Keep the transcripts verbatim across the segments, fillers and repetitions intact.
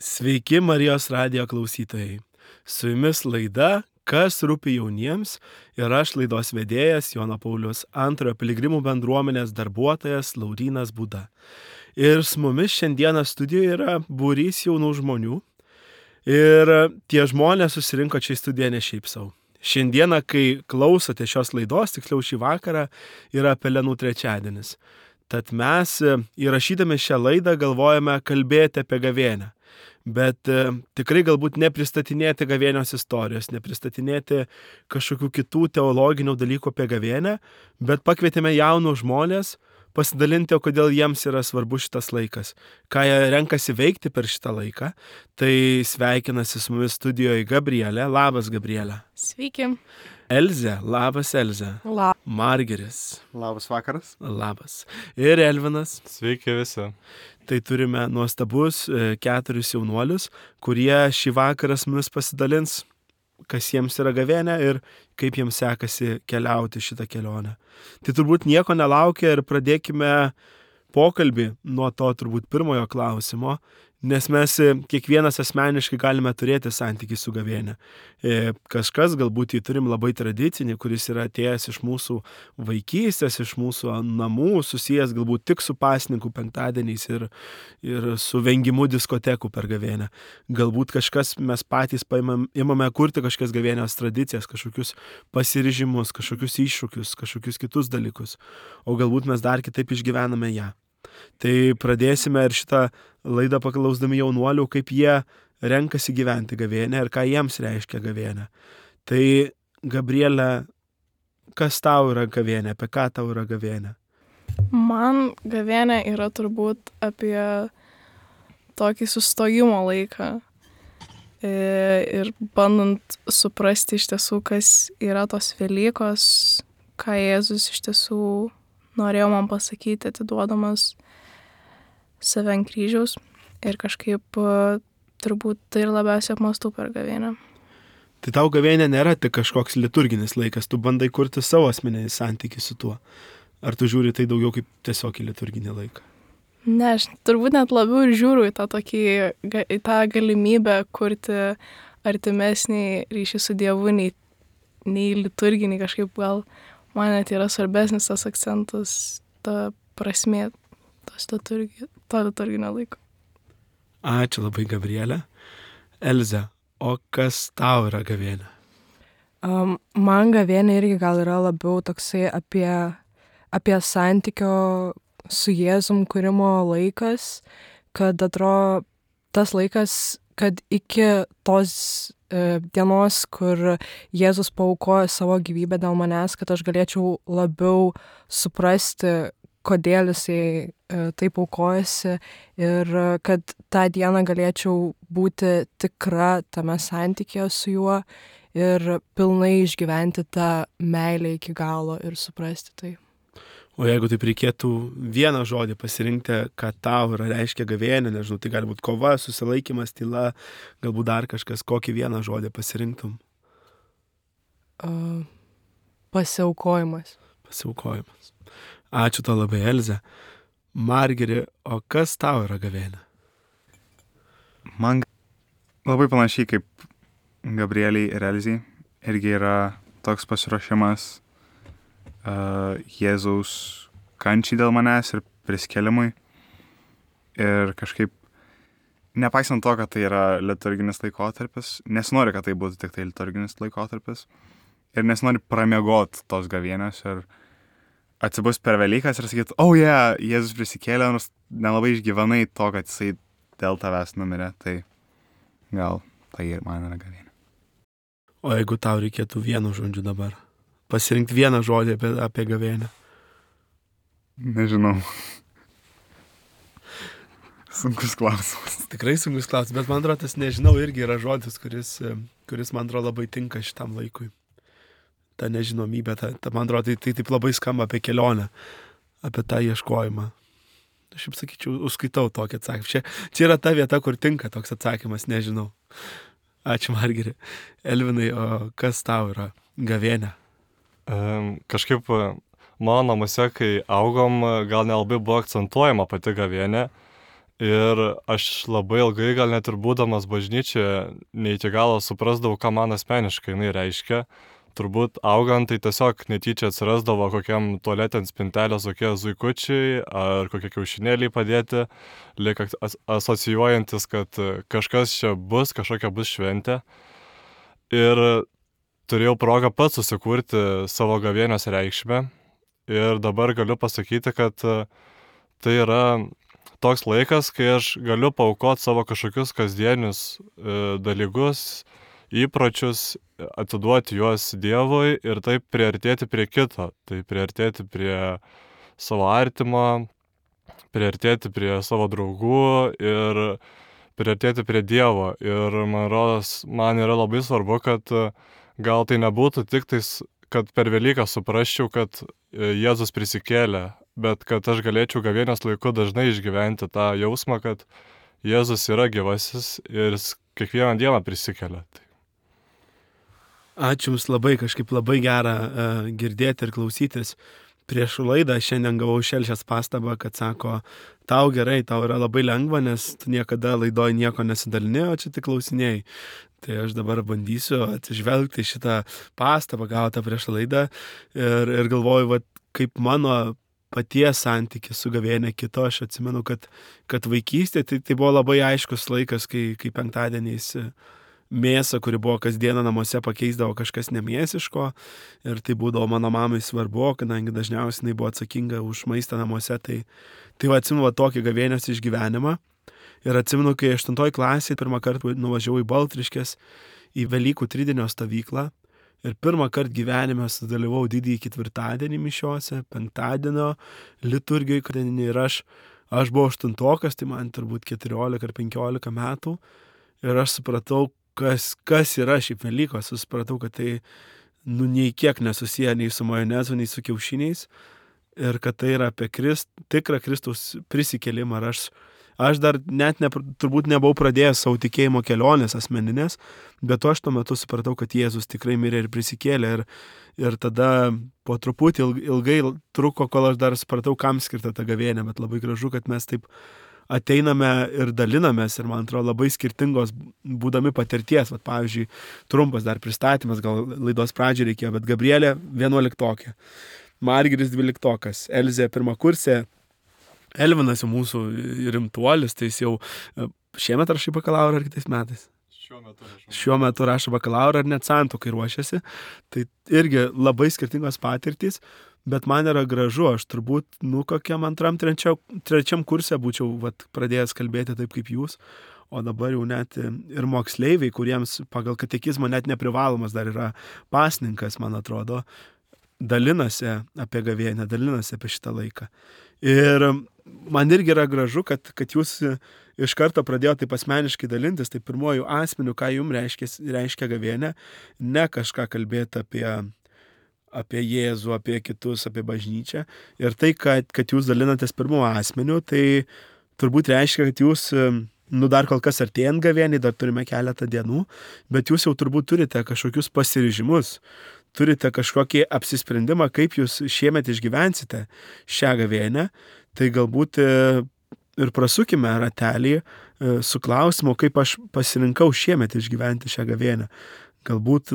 Sveiki Marijos radijo klausytojai. Su jumis laida Kas rūpi jauniems ir aš laidos vedėjas Jono Pauliaus antrojo piligrimų bendruomenės darbuotojas Laurynas Būda. Ir su mumis šiandieną studijoje yra būrys jaunų žmonių. Ir tie žmonės susirinko čia į studiją ne šiaip savo. Šiandieną, kai klausote šios laidos, tiksliau šį vakarą, yra Pelenų trečiadienis. Tad mes įrašydami šią laidą galvojame kalbėti apie gavėnią. Bet e, tikrai galbūt nepristatinėti gavėnios istorijos, nepristatinėti kažkokių kitų teologinių dalykų apie gavėnę, bet pakvietėme jaunus žmonės pasidalinti, o kodėl jiems yra svarbu šitas laikas, ką jie renkasi veikti per šitą laiką. Tai sveikinasi su mumis studijoje Gabrielė. Labas, Gabrielė. Sveiki. Elzė. Labas, Elzė. Labas. Margeris. Labas vakaras. Labas. Ir Elvinas. Sveiki visi. Tai turime nuostabus keturis jaunuolius, kurie šį vakarą su mumis pasidalins, kas jiems yra gavėnė ir kaip jiems sekasi keliauti šitą kelionę. Tai turbūt nieko nelaukia ir pradėkime pokalbį nuo to turbūt pirmojo klausimo, nes mes kiekvienas asmeniškai galime turėti santykį su gavėne. Kažkas galbūt jį turim labai tradicinį, kuris yra atėjęs iš mūsų vaikystės, iš mūsų namų, susijęs galbūt tik su pasninkų penktadieniais ir, ir su vengimu diskotekų per gavėnę. Galbūt kažkas mes patys paimam, imame kurti kažkokias gavėnios tradicijas, kažkokius pasiryžimus, kažkokius iššūkius, kažkokius kitus dalykus, o galbūt mes dar kitaip išgyvename ją. Tai pradėsime ir šitą laidą paklausdami jaunuolių, kaip jie renkasi gyventi gavėnę ir ką jiems reiškia gavėnė. Tai, Gabrielė, kas tau yra gavėnė, apie ką tau yra gavėnė? Man gavėnė yra turbūt apie tokį sustojimo laiką ir bandant suprasti iš tiesų, kas yra tos Velykos, ką Jėzus iš tiesų norėjo man pasakyti, atiduodamas save ant kryžiaus ir kažkaip turbūt tai ir labiausiai apmąstau per gavėnę. Tai tau gavėnė nėra tik kažkoks liturginis laikas, tu bandai kurti savo asmeninį santykį su tuo. Ar tu žiūri tai daugiau kaip tiesiog į liturginį laiką? Ne, aš turbūt net labiau ir žiūriu į tą, tokį, į tą galimybę kurti artimesnį ryšį su Dievu, nei, nei liturginį kažkaip gal. Man net yra svarbesnis tas akcentas, ta prasmė tos liturgi, to liturginio laiko. Ačiū labai, Gabrielė. Elze, o kas tau yra gavėnė? Um, man gavėnė irgi gal yra labiau toksai apie, apie santykio su Jėzum kūrimo laikas, kad atrodo tas laikas, kad iki tos dienos, kur Jėzus paaukojo savo gyvybę dėl manęs, kad aš galėčiau labiau suprasti, kodėl jisai e, taip aukojasi ir kad tą dieną galėčiau būti tikra tame santykėje su juo ir pilnai išgyventi tą meilę iki galo ir suprasti tai. O jeigu taip reikėtų vieną žodį pasirinkti, ką tau yra reiškia gavėnė, nežinau, tai gali būti kova, susilaikymas, tyla, galbūt dar kažkas, kokį vieną žodį pasirinktum? Uh, pasiaukojimas. Pasiaukojimas. Ačiū to labai, Elze. Margeri, o kas tau yra gavėnė? Man labai panašiai kaip Gabrieliai ir Elzei irgi yra toks pasiruošimas Uh, Jėzaus kančiai dėl manęs ir prisikėlimui. Ir kažkaip, nepaisant to, kad tai yra liturginis laikotarpis, nesinori, kad tai būtų tik tai liturginis laikotarpis. Ir nesinori pramiegot tos gavėnios ir atsibus per Velykas ir sakyti, oh yeah, Jėzus prisikėlė, nors nelabai išgyvenai to, kad jisai dėl tavęs numirė. Tai gal tai ir man yra gavėnė. O jeigu tau reikėtų vienu žodžiu dabar? Pasirinkti vieną žodį apie, apie gavėnę. Nežinau. Sunkus klausimas. Tikrai sunkus klausimas, bet man atrodo, tas nežinau irgi yra žodis, kuris, kuris man atrodo labai tinka šitam laikui. Ta nežinomybė, ta, ta, man atrodo, tai, tai taip labai skamba apie kelionę, apie tą ieškojimą. Aš jau sakyčiau, užskaitau tokį atsakymą. Čia, čia yra ta vieta, kur tinka toks atsakymas, nežinau. Ačiū, Margeri. Elvinai, o kas tau yra gavėnė? Um, kažkaip mano namuose, kai augom, gal nelabai buvo akcentuojama pati gavėnė Ir aš labai ilgai, gal net ir būdamas bažnyčioje, ne iki galo suprasdavau, ką man asmeniškai jinai reiškia. Turbūt augant, tai tiesiog netyčia atsirasdavo kokiam tualete ant spintelės kokie zuikučiai ar kokie kiaušinėliai padėti, lyg as- asocijuojantis, kad kažkas čia bus, kažkokia bus šventė. Ir turėjau progą pats susikurti savo gavėnios reikšmę. Ir dabar galiu pasakyti, kad tai yra toks laikas, kai aš galiu paaukoti savo kažkokius kasdienius e, dalykus, įpročius, atiduoti juos Dievui ir taip priartėti prie kito, tai priartėti prie savo artimo, priartėti prie savo draugų ir priartėti prie Dievo. Ir man rodos, man yra labai svarbu, kad gal tai nebūtų tik tais, kad per Velyką suprasčiau, kad Jėzus prisikėlė, bet kad aš galėčiau gavėnios laiku dažnai išgyventi tą jausmą, kad Jėzus yra gyvasis ir jis kiekvieną dieną prisikelia. Tai Ačiū Jums labai, kažkaip labai gera uh, girdėti ir klausytis. Prieš laidą šiandien gavau Šelšės pastabą, kad sako, tau gerai, tau yra labai lengva, nes tu niekada laidoje nieko nesidalini, o čia tik klausinėjai. Tai aš dabar bandysiu atsižvelgti šitą pastabą gautą prieš laidą ir, ir galvoju, va, kaip mano paties santykis su gavėnia kito. Aš atsimenu, kad, kad vaikystė tai, tai buvo labai aiškus laikas, kai, kai penktadieniais mėsą, kuri buvo kasdieną namuose, pakeisdavo kažkas nemėsiško ir tai būdavo mano mamai svarbu, kadangi dažniausiai jinai buvo atsakinga už maistą namuose, tai, tai va, atsimenu va, tokį gavėnios išgyvenimą ir atsimenu, kai aštuntoj klasėje pirmą kartą nuvažiavau į Baltriškės į Velykų tridienio stovyklą ir pirmą kartą gyvenime sudalyvau didįjį ketvirtadienį mišiose, penktadienio liturgijoje ir aš, aš buvau aštuntokas, tai man turbūt keturiolika ar penkiolika metų ir aš supratau, Kas, kas yra šiaip Velykos, supratau, kad tai nu, nei kiek nesusiję nei su majonezu, nei su kiaušiniais ir kad tai yra apie Krist, tikrą Kristaus prisikėlimą. Ir aš, aš dar net ne, turbūt nebuvau pradėjęs savo tikėjimo kelionės asmeninės, bet aš tuo metu supratau, kad Jėzus tikrai mirė ir prisikėlė. Ir, ir tada po truputį ilgai truko, kol aš dar supratau, kam skirta ta gavėnia, bet labai gražu, kad mes taip ateiname ir dalinamės ir, man atrodo, labai skirtingos būdami patirties. Vat, pavyzdžiui, trumpas dar pristatymas, gal laidos pradžiai reikėjo, bet Gabrielė vienuoliktokė, Margiris dvyliktokas, Elzė pirmakursė, Elvinas jau mūsų rimtuolis, tai jis jau šiemet rašai bakalaurą ar kitais metais? šiuo metu rašau. Šiuo metu rašo bakalaurą ar net santuokai ruošiasi. Tai irgi labai skirtingos patirtys. Bet man yra gražu, aš turbūt, nu, kokiam antram, trečiam, trečiam kurse būčiau vat, pradėjęs kalbėti taip kaip jūs, o dabar jau net ir moksleiviai, kuriems pagal katekizmą net neprivalomas dar yra pasninkas, man atrodo, dalinasi apie gavėnią, dalinasi apie šitą laiką. Ir man irgi yra gražu, kad, kad jūs iš karto pradėjote taip asmeniškai dalintis, tai pirmojų asmenių, ką jums reiškia, reiškia gavėnė, ne kažką kalbėti apie apie Jėzų, apie kitus, apie bažnyčią. Ir tai, kad, kad jūs dalinatės pirmo asmeniu, tai turbūt reiškia, kad jūs, nu dar kol kas artėjant gavėniai, dar turime keletą dienų, bet jūs jau turbūt turite kažkokius pasiryžimus, turite kažkokį apsisprendimą, kaip jūs šiemet išgyvensite šią gavėnę. Tai galbūt ir prasukime ratelį su klausimu, kaip aš pasirinkau šiemet išgyventi šią gavėnę. Galbūt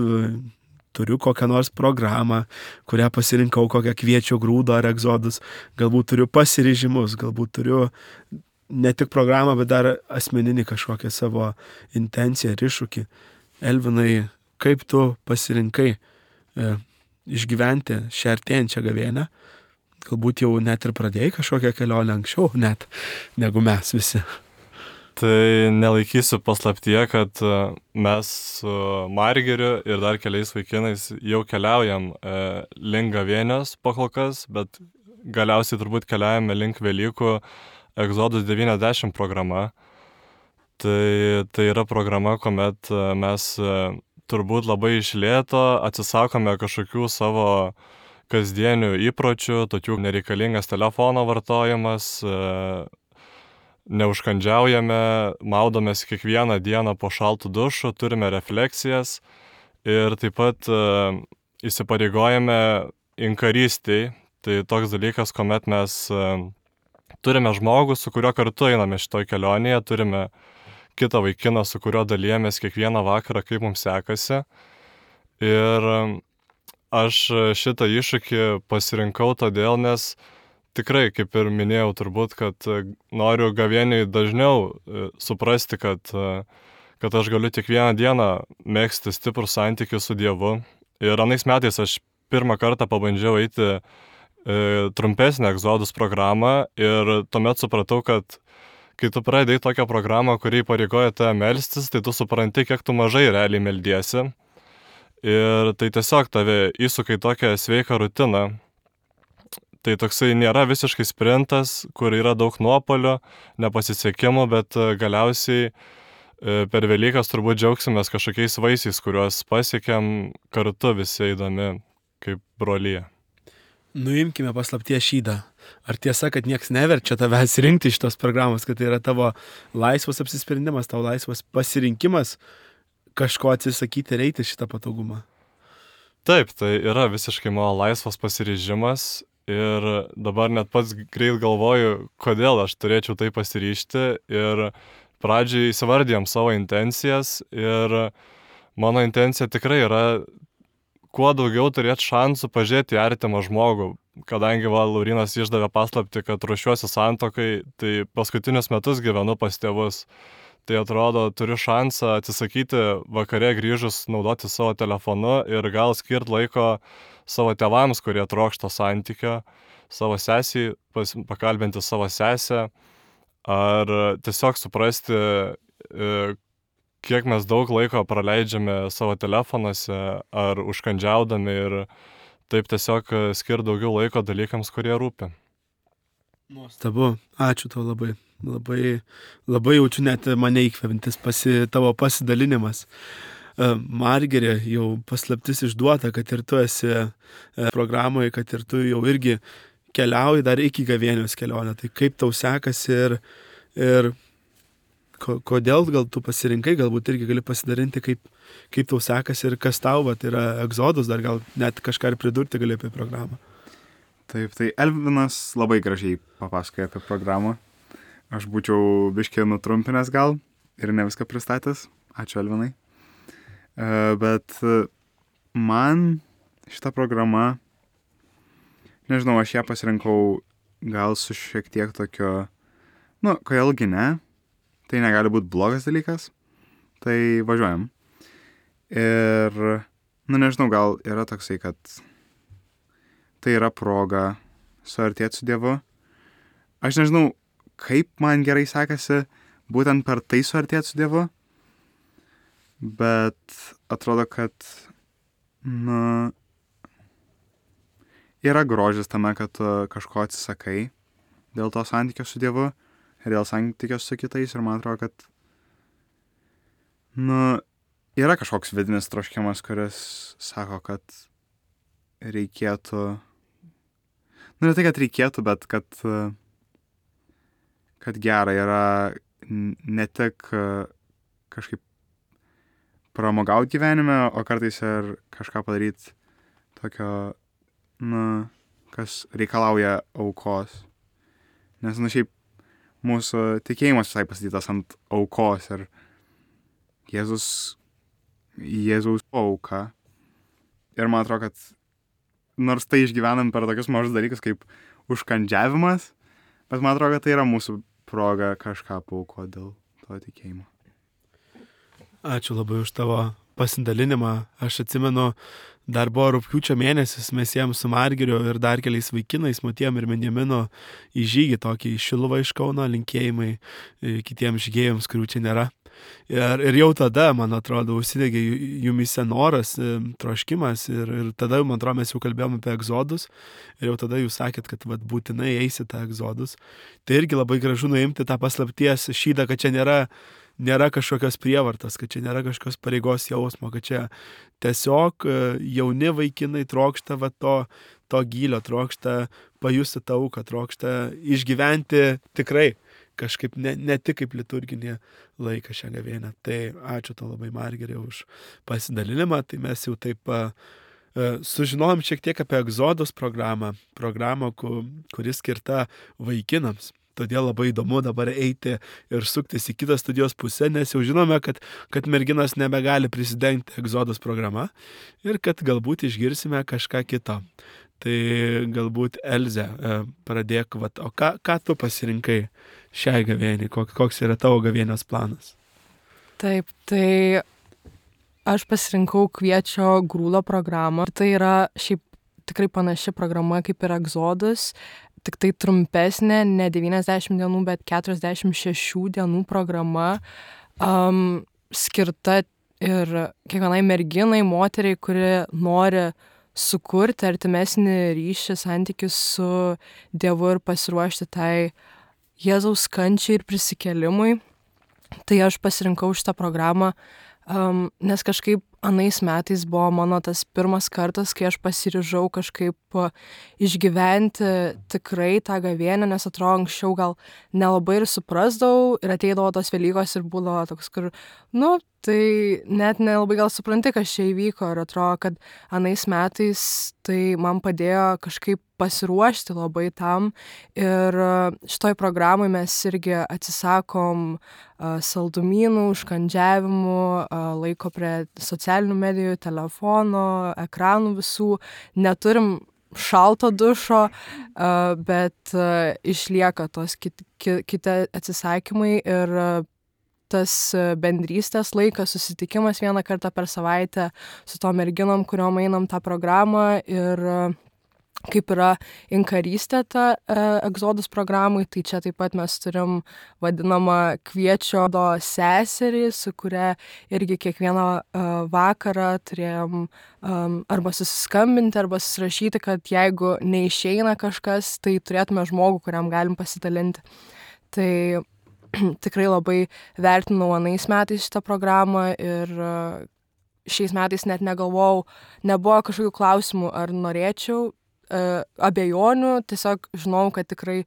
turiu kokią nors programą, kurią pasirinkau, kokią kviečio grūdo ar egzodus. Galbūt turiu pasiryžimus, galbūt turiu ne tik programą, bet dar asmeninį kažkokią savo intenciją ir iššūkį. Elvinai, kaip tu pasirinkai e, išgyventi šią artėjančią gavėnią? Galbūt jau net ir pradėjai kažkokią kelionę anksčiau, net negu mes visi. Tai nelaikysiu paslaptyje, kad mes su Margiriu ir dar keliais vaikinais jau keliaujam e, link gavėnios pakol kas, bet galiausiai turbūt keliaujame link Velykų Exodus devyniasdešimt programa. Tai, tai yra programa, kuomet mes e, turbūt labai iš lėto atsisakome kažkokių savo kasdienių įpročių, tokių nereikalingas telefono vartojimas, e, neužkandžiaujame, maudomės kiekvieną dieną po šaltų dušų, turime refleksijas ir taip pat uh, įsipareigojame inkarystiai. Tai toks dalykas, kuomet mes uh, turime žmogų, su kuriuo kartu einame šitoj kelionėje, turime kitą vaikiną, su kuriuo dalyjamės kiekvieną vakarą, kaip mums sekasi. Ir aš šitą iššūkį pasirinkau todėl, nes tikrai, kaip ir minėjau, turbūt, kad noriu gavėniui dažniau suprasti, kad, kad aš galiu kiekvieną dieną mėgsti stiprų santykį su Dievu. Ir anais metais aš pirmą kartą pabandžiau eiti e, trumpesnę egzodus programą ir tuomet supratau, kad kai tu pradėjai tokią programą, kuri pareigoja tave melstis, tai tu supranti, kiek tu mažai realiai meldiesi. Ir tai tiesiog tave įsuka į tokią sveiką rutiną. Tai toksai nėra visiškai sprintas, kur yra daug nuopolio, nepasisekimų, bet galiausiai per Velykas turbūt džiaugsimės kažkokiais vaisiais, kuriuos pasiekėm kartu visi eidami kaip brolyje. Nuimkime paslapties šydą. Ar tiesa, kad nieks neverčia tavęs rinkti iš tos programos, kad tai yra tavo laisvas apsisprendimas, tavo laisvas pasirinkimas kažko atsisakyti ir eiti šitą patogumą? Taip, tai yra visiškai mano laisvas pasiryžimas ir dabar net pats greit galvoju, kodėl aš turėčiau tai pasiryžti ir pradžiai įsivardijom savo intencijas ir mano intencija tikrai yra kuo daugiau turėti šansų pažiūrėti į artimą žmogų. Kadangi va, Laurinas išdavė paslapti, kad ruošiuosi santuokai, tai paskutinius metus gyvenu pas tėvus. Tai atrodo, turiu šansą atsisakyti vakare grįžus naudoti savo telefonu ir gal skirti laiko savo tėvams, kurie trokšta santykio, savo sesiai, pakalbinti savo sesę, ar tiesiog suprasti, kiek mes daug laiko praleidžiame savo telefonuose ar užkandžiaudami ir taip tiesiog skirti daugiau laiko dalykams, kurie rūpi. Nuostabu, ačiū tau labai. Labai, labai jaučiu net mane įkvepiantis pasi, tavo pasidalinimas. Margerė, jau paslaptis išduota, kad ir tu esi programoje, kad ir tu jau irgi keliauji dar iki gavėnios kelionę. Tai kaip tau sekasi ir, ir kodėl gal tu pasirinkai, galbūt irgi gali pasidarinti, kaip, kaip tau sekasi ir kas tau, va, tai yra egzodus, dar gal net kažką ir pridurti gali apie programą. Taip, tai Elvinas labai gražiai papasakoja apie programą. Aš būčiau biškį nutrumpinęs gal ir ne viską pristatęs. Ačiū, Elvinai. Bet man šita programa, nežinau, aš ją pasirinkau gal su šiek tiek tokio, nu, kodėlgi ne, tai negali būti blogas dalykas, tai važiuojam. Ir, nu, nežinau, gal yra toksai, kad tai yra proga suartėti su Dievu. Aš nežinau, kaip man gerai sekasi būtent per tai suartėti su Dievu, bet atrodo, kad, nu, yra grožis tame, kad tu kažko atsisakai dėl to santykio su Dievu ir dėl santykio su kitais ir man atrodo, kad, nu, yra kažkoks vidinis troškimas, kuris sako, kad reikėtų, nu, ne tai, kad reikėtų, bet kad kad gera yra ne tik kažkaip pramogauti gyvenime, o kartais ir kažką padaryti tokio, nu, kas reikalauja aukos. Nes, nu, šiaip mūsų tikėjimas visai pastatytas ant aukos ir Jėzus, Jėzaus auka. Ir man atrodo, kad nors tai išgyvenam per tokius mažus dalykus kaip užkandžiavimas, bet man atrodo, kad tai yra mūsų proga kažką paaukoti dėl to tikėjimo. Ačiū labai už tavo pasidalinimą. Aš atsimenu, dar buvo rugpjūčio mėnesis, mes ėjom su Margiriu ir dar keliais vaikinais, Matiem ir Benjaminu, į žygį tokį į Šiluvą iš Kauno, linkėjimai kitiems žygėjams, kurių čia nėra. Ir, ir jau tada, man atrodo, užsidegė jumise noras, troškimas ir, ir tada, man atrodo, mes jau kalbėjom apie egzodus ir jau tada jūs sakėt, kad vat, būtinai eisite egzodus. Tai irgi labai gražu nuimti tą paslapties šydą, kad čia nėra, nėra kažkokios prievartos, kad čia nėra kažkokios pareigos jausmo, kad čia tiesiog jauni vaikinai trokšta va, to, to gylio, trokšta pajusti tą auką, trokšta išgyventi tikrai kažkaip ne, ne tik kaip liturginį laiką šią gavėnią. Tai ačiū tau labai, Margerė, už pasidalinimą. Tai mes jau taip Sužinojom šiek tiek apie Egzodos programą, programą, kuri skirta vaikinams. Todėl labai įdomu dabar eiti ir suktis į kitą studijos pusę, nes jau žinome, kad, kad merginos nebegali prisidengti Egzodos programa ir kad galbūt išgirsime kažką kito. Tai galbūt Elze, pradėk, vat, o ką, ką tu pasirinkai šiai gavėniai, koks yra tavo gavėnios planas? Taip, tai aš pasirinkau Kviečio grūdo programą. Tai yra šiaip tikrai panaši programa kaip ir Egzodas, tik tai trumpesnė, ne devyniasdešimt dienų, bet keturiasdešimt šešių dienų programa, um, skirta ir kiekvienai merginai, moteriai, kuri nori sukurti artimesnį ryšį, santykius su Dievu ir pasiruošti tai Jėzaus kančiai ir prisikėlimui. Tai aš pasirinkau šitą programą, um, nes kažkaip anais metais buvo mano tas pirmas kartas, kai aš pasiryžau kažkaip išgyventi tikrai tą gavėnią, nes atrodo anksčiau gal nelabai ir suprasdavau ir ateidavo tos Velykos ir būdavo toks, kur, nu, tai net nelabai gal supranti, kas čia įvyko ir atrodo, kad anais metais tai man padėjo kažkaip pasiruošti labai tam ir šitoj programai mes irgi atsisakom uh, saldumynų, užkandžiavimų, uh, laiko prie socialinių medijų, telefono, ekranų visų, neturim šalto dušo, uh, bet uh, išlieka tos kiti, kiti atsisakymai ir uh, tas bendrystės laikas, susitikimas vieną kartą per savaitę su to merginom, kuriuom einam tą programą ir uh, kaip yra inkarystė ta e, Egzodos programai, tai čia taip pat mes turim vadinamą Kviečio do seserį, su kuria irgi kiekvieną e, vakarą turėjom um, arba susiskambinti, arba susirašyti, kad jeigu neišeina kažkas, tai turėtume žmogų, kuriam galim pasidalinti. Tai tikrai labai vertinau anais metais šitą programą ir e, šiais metais net negalvojau, nebuvo kažkokių klausimų, ar norėčiau, Uh, abejonių, tiesiog žinau, kad tikrai,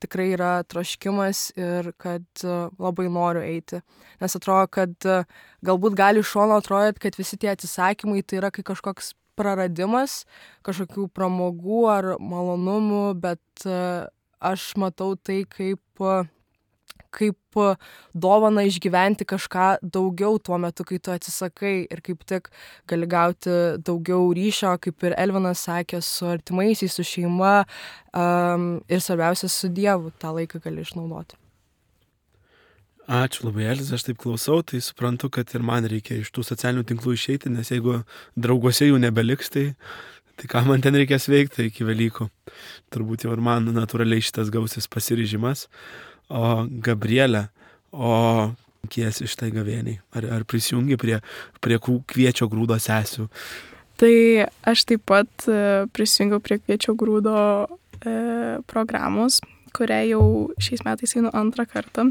tikrai yra troškimas ir kad uh, labai noriu eiti. Nes atrodo, kad uh, galbūt gali iš šono atrodyti, kad visi tie atsisakymai tai yra kai kažkoks praradimas, kažkokių pramogų ar malonumų, bet uh, aš matau tai kaip, uh, kaip uh, dovana išgyventi kažką daugiau tuo metu, kai tu atsisakai ir kaip tik gali gauti daugiau ryšio, kaip ir Elvinas sakė, su artimaisiais, su šeima um, ir svarbiausia su Dievu tą laiką gali išnaudoti. Ačiū labai, Elze, aš taip klausau, tai suprantu, kad ir man reikia iš tų socialinių tinklų išeiti, nes jeigu drauguose jų nebeliks, tai, tai ką man ten reikės veikti iki Velykų. Turbūt jau ir man natūraliai šitas gausis pasiryžimas. O Gabrielė, o kiesi šitai gavėniai? Ar, ar prisijungi prie, prie Kviečio grūdo sesių? Tai aš taip pat prisijungiau prie Kviečio grūdo e, programos, kurią jau šiais metais einu antrą kartą.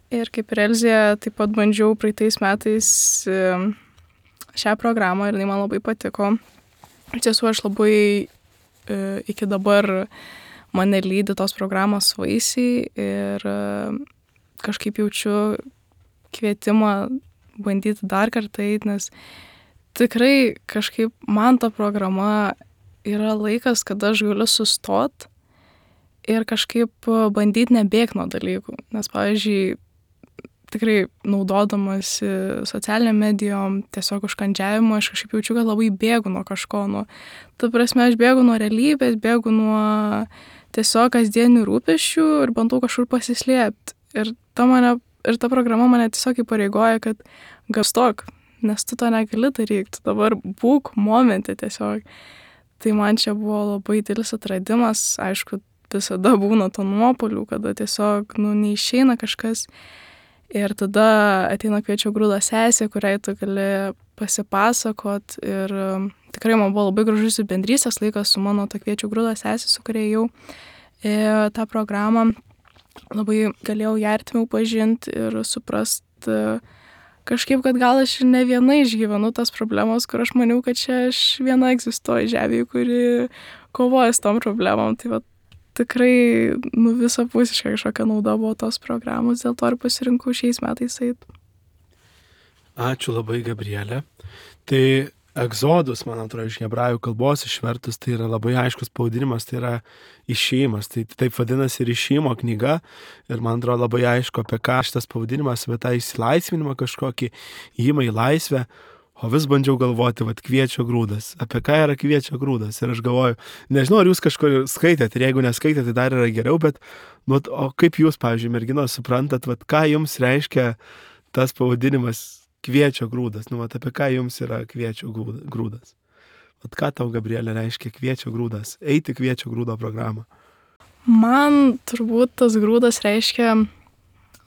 Ir kaip ir Elzė, taip pat bandžiau praeitais metais e, šią programą ir jinai man labai patiko. Iš tiesų aš labai e, iki dabar mane lydi tos programos vaisiai ir kažkaip jaučiu kvietimą bandyti dar kartą eiti, nes tikrai kažkaip man ta programa yra laikas, kada aš galiu sustot ir kažkaip bandyti nebėgti nuo dalykų. Nes, pavyzdžiui, tikrai naudodamas socialiniam medijom, tiesiog užkandžiavimo, aš kažkaip jaučiu, kad labai bėgu nuo kažko. Nuo, ta prasme, aš bėgu nuo realybės, bėgu nuo tiesiog kasdienių rūpesčių ir bandau kažkur pasislėpti. Ir ta, mane, ir ta programa mane tiesiog įpareigoja, kad gastok, nes tu to negali daryti, tu dabar būk momente tiesiog. Tai man čia buvo labai didelis atradimas, aišku, visada būna to nuopolių, kada tiesiog nu, neišeina kažkas. Ir tada ateina Kviečio grūdo sesė, kuriai tu gali pasipasakot. Ir tikrai man buvo labai gražus bendrystės laikas su mano ta Kviečio grūdo sesė, su kuria jau e, tą programą labai galėjau ją artimiau pažinti ir suprast kažkaip, kad gal aš ne viena išgyvenu tas problemas, kur aš maniau, kad čia aš viena egzistuoju žemėje, kuri kovoja su tom problemom. Tai va, tikrai nu, visapusiškai kažkokia nauda buvo tos programos, dėl to ir pasirinkau šiais metais eiti. Ačiū labai, Gabrielė. Tai Egzodus, man atrodo, iš hebrajų kalbos išvertus, tai yra labai aiškus pavadinimas, tai yra išėjimas. Tai taip vadinasi ir išėjimo knyga. Ir man atrodo labai aišku, apie ką šitas pavadinimas, apie tą įsilaisvinimą kažkokį, įėjimą į laisvę. O vis bandžiau galvoti, vat kviečio grūdas. Apie ką yra kviečio grūdas? Ir aš galvoju, nežinau, ar jūs kažkur skaitėt, ir jeigu neskaitėt, tai dar yra geriau, bet, nu, o kaip jūs, pavyzdžiui, merginos, suprantat, vat ką jums reiškia tas pavadinimas kviečio grūdas? Nu, vat apie ką jums yra kviečio grūdas? Vat ką tau, Gabrielė, reiškia kviečio grūdas? Eiti kviečio grūdo programą. Man turbūt tas grūdas reiškia,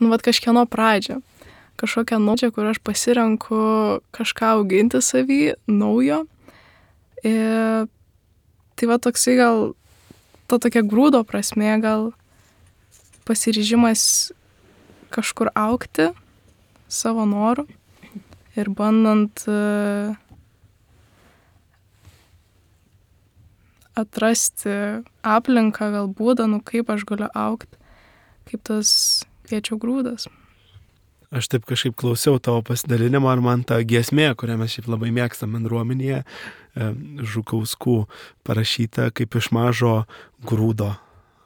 nu, vat kažkieno pradžią. Kažkokią naują, kur aš pasirenku kažką auginti savy, naujo. Ir tai va toksai gal, to tokia grūdo prasmė, gal pasiryžimas kažkur augti savo noru ir bandant uh, atrasti aplinką, gal būdą, nu kaip aš galiu augti, kaip tas kviečio grūdas. Aš taip kažkaip klausiau tavo pasidalinimo, ar man ta giesmė, kurią mes šiaip labai mėgstam bendruomenėje, Žukauskų parašyta, kaip iš mažo grūdo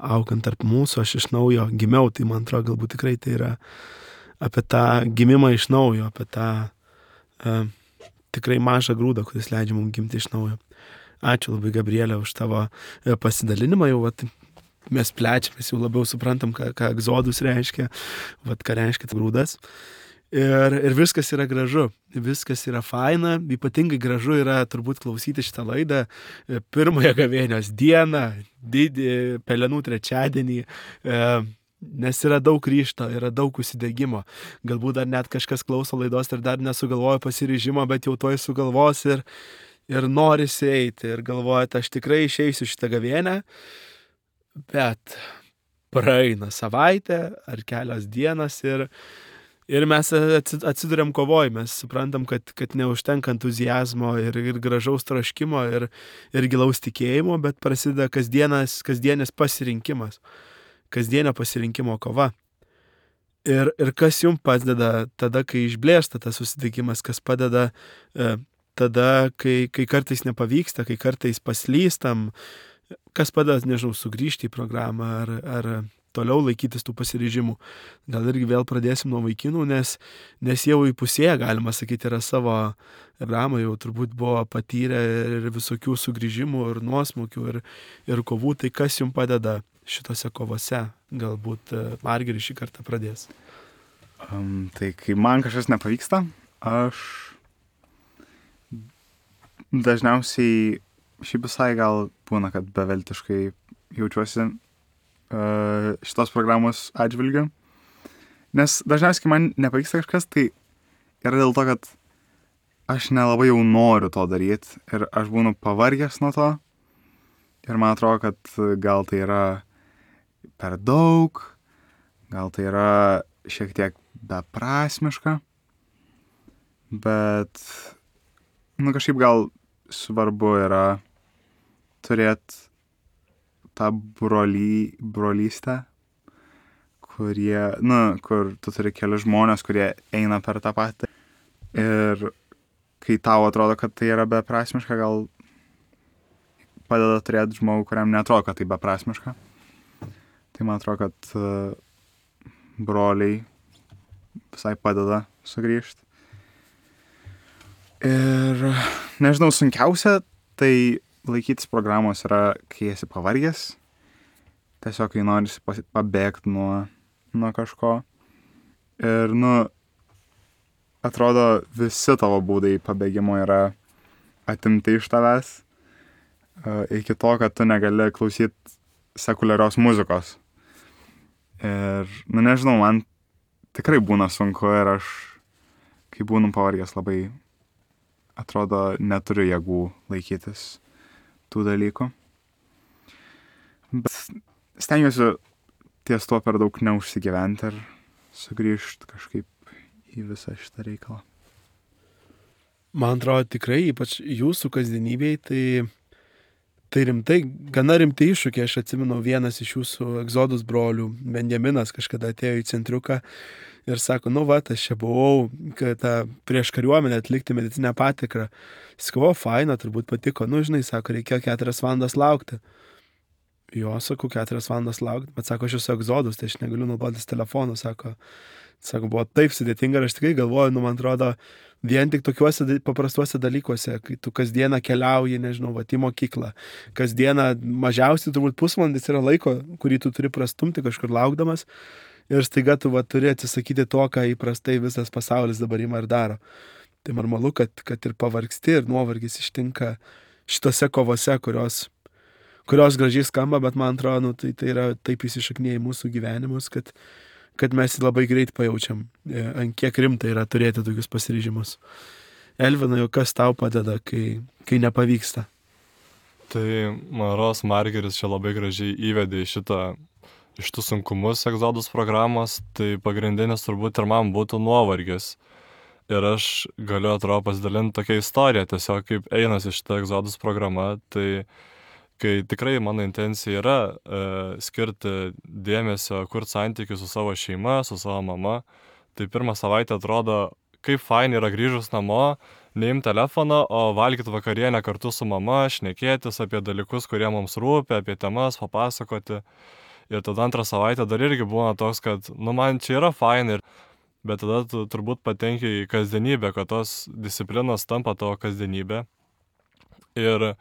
augant tarp mūsų, aš iš naujo gimiau, tai man atrodo, galbūt tikrai tai yra apie tą gimimą iš naujo, apie tą uh, tikrai mažą grūdą, kuris leidžia mums gimti iš naujo. Ačiū labai, Gabrielė, už tavo pasidalinimą, jau vat, mes plečiamės, jau labiau suprantam, ką, ką egzodus reiškia, vat, ką reiškia grūdas. Ir, ir viskas yra gražu, viskas yra faina, ypatingai gražu yra turbūt klausyti šitą laidą pirmąją gavėnios dieną, didį pelenų trečiadienį, nes yra daug ryžto, yra daug užsidegimo. Galbūt dar net kažkas klauso laidos ir dar nesugalvojo pasiryžimo, bet jau toj sugalvos ir, ir norisi eiti ir galvojate, aš tikrai išeisiu šitą gavėnę. Bet praeina savaitė ar kelios dienas ir, ir mes atsiduriam kovoj, mes suprantam, kad, kad neužtenka entuzijazmo ir, ir gražaus troškimo ir, ir gilaus tikėjimo, bet prasideda kasdienas, kasdienis pasirinkimas, kasdienio pasirinkimo kova. Ir, ir kas jums padeda tada, kai išblėsta tas susitikimas, kas padeda e, tada, kai, kai kartais nepavyksta, kai kartais paslystam, kas padeda, nežinau, sugrįžti į programą ar, ar toliau laikytis tų pasiryžimų. Gal irgi vėl pradėsim nuo vaikinų, nes, nes jau įpusėję, galima sakyti, yra savo programą, jau turbūt buvo patyrę ir visokių sugrįžimų ir nuosmukių ir, ir kovų. Tai kas jums padeda šitose kovose? Galbūt Margeris šį kartą pradės. Um, tai kai man kažkas nepavyksta, aš dažniausiai šiaip visai gal būna, kad beveltiškai jaučiuosi uh, šitos programos atžvilgiu. Nes dažniausiai, kai man nepavyksta kažkas, tai yra dėl to, kad aš nelabai jau noriu to daryti ir aš būnu pavargęs nuo to. Ir man atrodo, kad gal tai yra per daug, gal tai yra šiek tiek beprasmiška, bet, nu, kažkaip gal svarbu yra turėti tą broly, brolystę, kurie, nu, kur tu turi kelius žmonės, kurie eina per tą patį. Ir kai tau atrodo, kad tai yra beprasmiška, gal padeda turėti žmogų, kuriam neatrodo, kad tai beprasmiška. Tai man atrodo, kad uh, broliai visai padeda sugrįžti. Ir, nežinau, sunkiausia, tai laikytis programos yra, kai esi pavargęs, tiesiog kai norisi pabėgti nuo, nuo kažko. Ir, nu, atrodo, visi tavo būdai pabėgimo yra atimti iš tavęs, uh, iki to, kad tu negali klausyti sekuliarios muzikos. Ir, nu, nežinau, man tikrai būna sunku ir aš, kai būnu pavargęs, labai, atrodo, neturiu jėgų laikytis tų dalykų. Bet stengiuosi ties tuo per daug neužsigyventi ir sugrįžti kažkaip į visą šitą reikalą. Man atrodo, tikrai, ypač jūsų kasdienybėj, tai, tai rimtai, gana rimtai iššūkiai. Aš atsimenu, vienas iš jūsų egzodus brolių, Benjaminas, kažkada atėjo į centriuką ir sako, nu va, aš čia buvau, kad tą prieš kariuomenę atlikti medicinę patikrą. Jis sako, faina, turbūt patiko. Nu, žinai, sako, reikėjo keturias valandas laukti. Jo, sakau, keturias valandas laukti, bet sako, aš esu egzodus, tai aš negaliu naudotis telefonu, sako. Sako, buvo taip sudėtinga ir aš tikrai galvoju, nu, man atrodo, vien tik tokiuose paprastuose dalykuose, kai tu kasdieną keliauji, nežinau, va, į mokyklą, kasdieną mažiausiai turbūt pusvalandis yra laiko, kurį tu turi prastumti kažkur laukdamas ir staiga tu va, turi atsisakyti to, ką įprastai visas pasaulis dabar ima ir daro. Tai normalu, kad, kad ir pavargsti ir nuovargis ištinka šitose kovose, kurios kurios gražiai skamba, bet man atrodo, nu, tai, tai yra taip įsišaknėję į mūsų gyvenimus, kad, kad mes labai greit pajaučiam, ant kiek rimtai yra turėti tokius pasiryžimus. Elvina, jau kas tau padeda, kai, kai nepavyksta? Tai Maros Margeris čia labai gražiai įvedė į šitą, iš tų sunkumus egzodus programos, tai pagrindinis turbūt ir man būtų nuovargis. Ir aš galiu, atrodo, pasidalinti tokią istoriją, tiesiog kaip einasi šitą egzodus programa, tai kai tikrai mano intencija yra e, skirti dėmesio, kurti santykių su savo šeima, su savo mama, tai pirmą savaitę atrodo, kaip fain yra grįžus namo, neimti telefoną, o valgyti vakarienę kartu su mama, šnekėtis apie dalykus, kurie mums rūpi, apie temas, papasakoti. Ir tada antrą savaitę dar irgi būna toks, kad, nu, man čia yra fain, ir, bet tada tu turbūt patenki į kasdienybę, kad tos disciplinos tampa tavo kasdienybė. Ir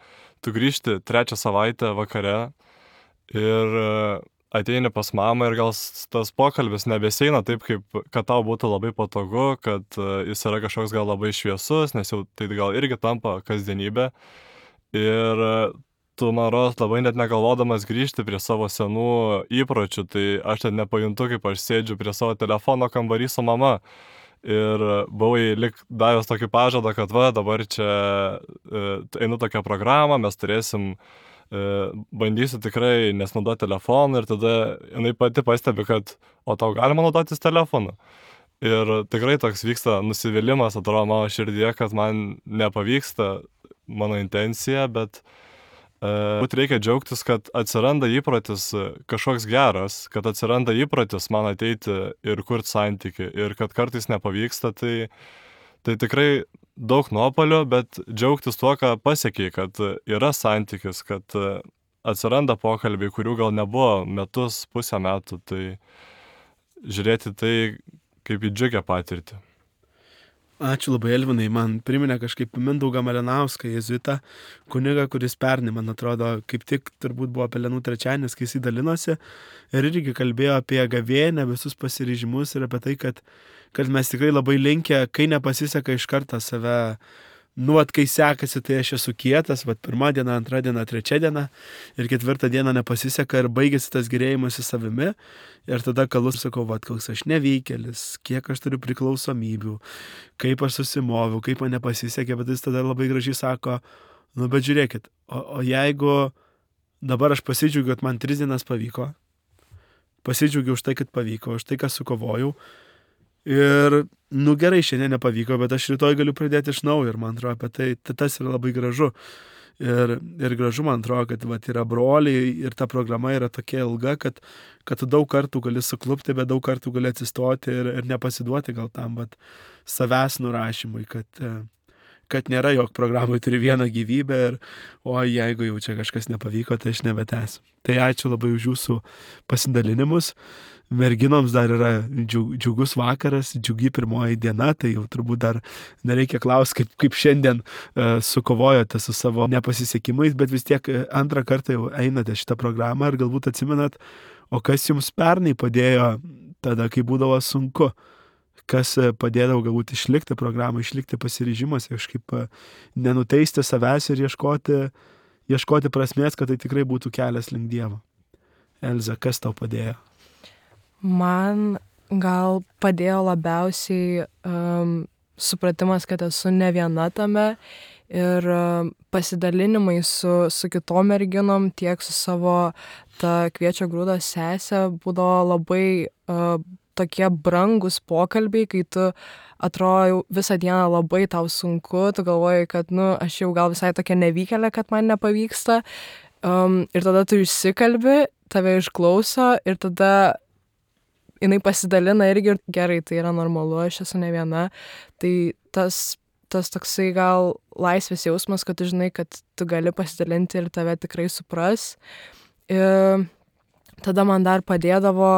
tu grįžti trečią savaitę vakare ir ateini pas mamą ir gal tas pokalbis nebeseina taip, kaip, kad tau būtų labai patogu, kad jis yra kažkoks gal labai šviesus, nes jau tai gal irgi tampa kasdienybė. Ir tu, man rodos, labai net negalvodamas grįžti prie savo senų įpročių, tai aš net nepajuntu, kaip aš sėdžiu prie savo telefono kambarį su mama. Ir buvai lik davęs tokį pažadą, kad va, dabar čia e, einu tokią programą, mes turėsim, e, bandysiu tikrai nesnaudoti telefoną ir tada jinai pati pastebi, kad o tau galima naudotis telefonu. Ir tikrai toks vyksta nusivylimas, atrodo, mano širdyje, kad man nepavyksta mano intencija, bet būt reikia džiaugtis, kad atsiranda įprotis kažkoks geras, kad atsiranda įprotis man ateiti ir kurti santykių, ir kad kartais nepavyksta, tai, tai tikrai daug nuopolių, bet džiaugtis tuo, ką pasiekiai, kad yra santykis, kad atsiranda pokalbiai, kurių gal nebuvo metus, pusę metų, tai žiūrėti tai kaip į džiugę patirtį. Ačiū labai, Elvinai, man priminė kažkaip Mindaugą Malinauską, jezuitą kunigą, kuris pernai, man atrodo, kaip tik turbūt buvo Pelenų trečiadienis, kai jis dalinosi ir irgi kalbėjo apie gavėnią, visus pasiryžimus ir apie tai, kad, kad mes tikrai labai linkę, kai nepasiseka iš karto save, nu, at kai sekasi, tai aš esu kietas, vat pirmą dieną, antrą dieną, trečią dieną ir ketvirtą dieną nepasiseka ir baigėsi tas gerėjimas į savimi ir tada kalus sakau, vat koks aš nevykėlis, kiek aš turiu priklausomybių, kaip aš susimoviau, kaip man nepasisekė, bet jis tada labai gražiai sako, nu, bet žiūrėkit, o, o jeigu dabar aš pasidžiaugiu, kad man tris dienas pavyko, pasidžiaugiu už tai, kad pavyko, už tai, ką sukovojau, ir, nu gerai, šiandien nepavyko, bet aš rytoj galiu pradėti iš naujo ir man atrodo, apie tai tas yra labai gražu. Ir, ir gražu, man atrodo, kad vat, yra broliai ir ta programa yra tokia ilga, kad, kad tu daug kartų gali suklupti, bet daug kartų gali atsistoti ir, ir nepasiduoti gal tam, bet savęs nurašymui, kad, kad nėra, jog programai turi vieną gyvybę ir, o jeigu jau čia kažkas nepavyko, tai aš nebetęsiu. Tai ačiū labai už jūsų pasidalinimus. Merginoms dar yra džiugus vakaras, džiugi pirmoji diena, tai jau turbūt dar nereikia klausti, kaip, kaip šiandien uh, sukovojote su savo nepasisekimais, bet vis tiek antrą kartą jau einate šitą programą ir galbūt atsimenat, o kas jums pernai padėjo tada, kai būdavo sunku, kas padėdavo galbūt išlikti programą, išlikti pasiryžimas, kažkaip nenuteisti savęs ir ieškoti, ieškoti prasmės, kad tai tikrai būtų kelias link Dievo. Elza, kas tau padėjo? Man gal padėjo labiausiai um, supratimas, kad esu ne viena tame ir um, pasidalinimai su, su kitom merginom, tiek su savo ta kviečio grūdo sesė būdavo labai uh, tokie brangus pokalbiai, kai tu atrodo visą dieną labai tau sunku, tu galvoji, kad nu, aš jau gal visai tokia nevykėlė, kad man nepavyksta, Um, ir tada tu išsikalbi, tave išklauso ir tada jinai pasidalina irgi ir gerai, tai yra normalu, aš esu ne viena. Tai tas, tas toksai gal laisvės jausmas, kad tu žinai, kad tu gali pasidalinti ir tave tikrai supras. Ir tada man dar padėdavo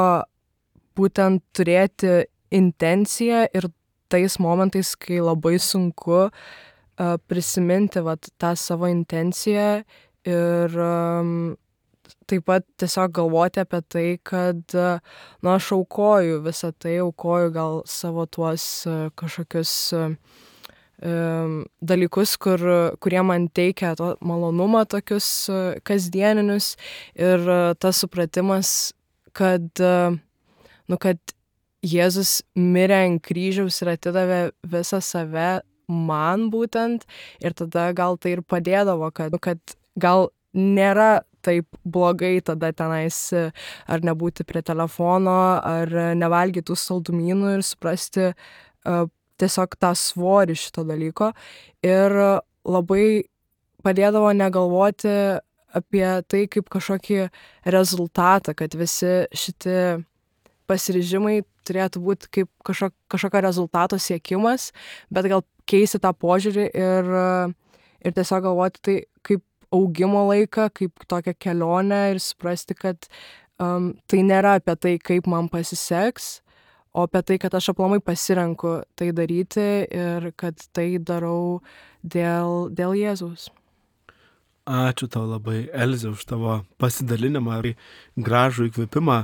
būtent turėti intenciją ir tais momentais, kai labai sunku uh, prisiminti vat, tą savo intenciją ir um, taip pat tiesiog galvoti apie tai, kad, nu, aš aukoju visą tai, aukoju gal savo tuos uh, kažkokius uh, um, dalykus, kur, kurie man teikia to malonumą tokius uh, kasdieninius ir uh, tas supratimas, kad, uh, nu, kad Jėzus mirė ant kryžiaus ir atidavė visą save man būtent ir tada gal tai ir padėdavo, kad, nu, kad gal nėra taip blogai tada tenais ar nebūti prie telefono, ar nevalgyti tų saldumynų ir suprasti uh, tiesiog tą svorį šito dalyko. Ir labai padėdavo negalvoti apie tai kaip kažkokį rezultatą, kad visi šiti pasiryžimai turėtų būti kaip kažkok, kažkokio rezultato siekimas, bet gal keisti tą požiūrį ir, ir tiesiog galvoti tai kaip augimo laiką, kaip tokią kelionę ir suprasti, kad um, tai nėra apie tai, kaip man pasiseks, o apie tai, kad aš aplamai pasirenku tai daryti ir kad tai darau dėl, dėl Jėzaus. Ačiū tau labai, Elze, už tavo pasidalinimą ir gražų įkvėpimą,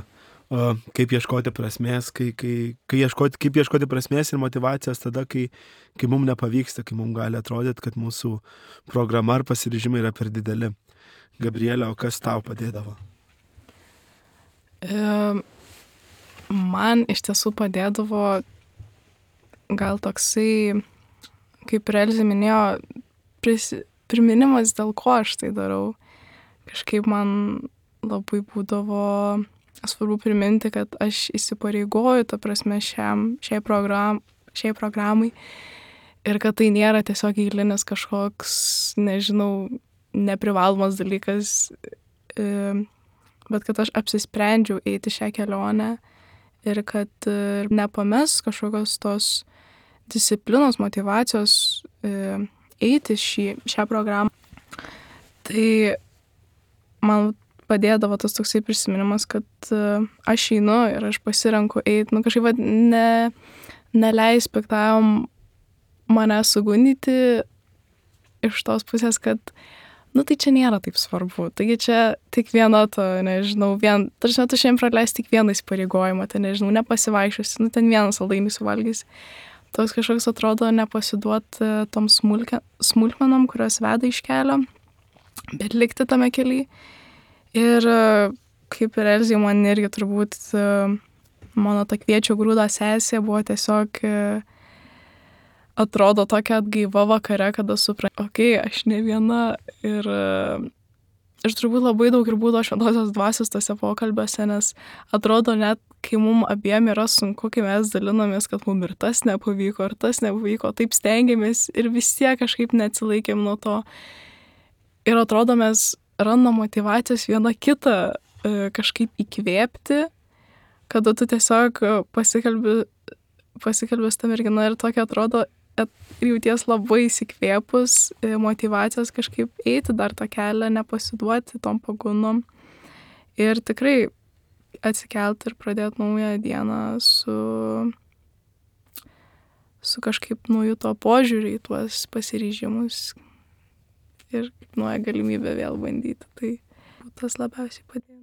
kaip ieškoti prasmės, kai, kai, kai ieškoti, kaip ieškoti prasmės ir motyvacijos tada, kai, kai mums nepavyksta, kai mums gali atrodyti, kad mūsų programa ar pasiryžimai yra per dideli. Gabrielė, o kas tau padėdavo? E, man iš tiesų padėdavo gal toksai, kaip ir Elzė minėjo, pris, priminimas, dėl ko aš tai darau. Kažkaip man labai būdavo svarbu priminti, kad aš įsipareigoju, ta prasme, šiam, šiai, program, šiai programai ir kad tai nėra tiesiog eilinis kažkoks, nežinau, neprivalomas dalykas, bet kad aš apsisprendžiau eiti šią kelionę ir kad nepames kažkokios tos disciplinos, motyvacijos eiti šį, šią programą. Tai man padėdavo tas toksai prisiminimas, kad uh, aš einu ir aš pasirenku eiti, nu kažkaip va, ne, neleis piktajam mane sugundyti iš tos pusės, kad, nu tai čia nėra taip svarbu, taigi čia tik viena to, nežinau, vien, tarsi tu šiandien praleis tik vieną įsipareigojimą, tai nežinau, nepasivaiščiusi, nu ten vieną saldainį suvalgys. Toks kažkoks atrodo nepasiduot uh, tom smulke, smulkmenom, kurios veda iš kelio, bet likti tame kelyje. Ir kaip ir Elzė, man irgi turbūt mano ta kviečio grūdo sesė buvo tiesiog atrodo tokia atgaiva vakare, kada supratau, okei, okay, aš ne viena ir aš turbūt labai daug ir būdavo šventosios dvasios tose pokalbiuose, nes atrodo net, kai mums abiem yra sunku, kai mes dalinomės, kad mums ir tas nepavyko, ir tas nepavyko, taip stengiamės ir vis tiek kažkaip neatsilaikėm nuo to. Ir atrodo mes randam motyvacijos vieną kitą e, kažkaip įkvėpti, kada tu tiesiog pasikalbi, pasikalbi su ta mergina ir tokia atrodo, ir jauties labai įsikvėpus, e, motyvacijos kažkaip eiti dar tą kelią, nepasiduoti tom pagundom ir tikrai atsikelti ir pradėti naują dieną su, su kažkaip nauju to požiūrį į tuos pasiryžimus. Ir nauja galimybė vėl bandyti, tai tas labiausiai padėjo.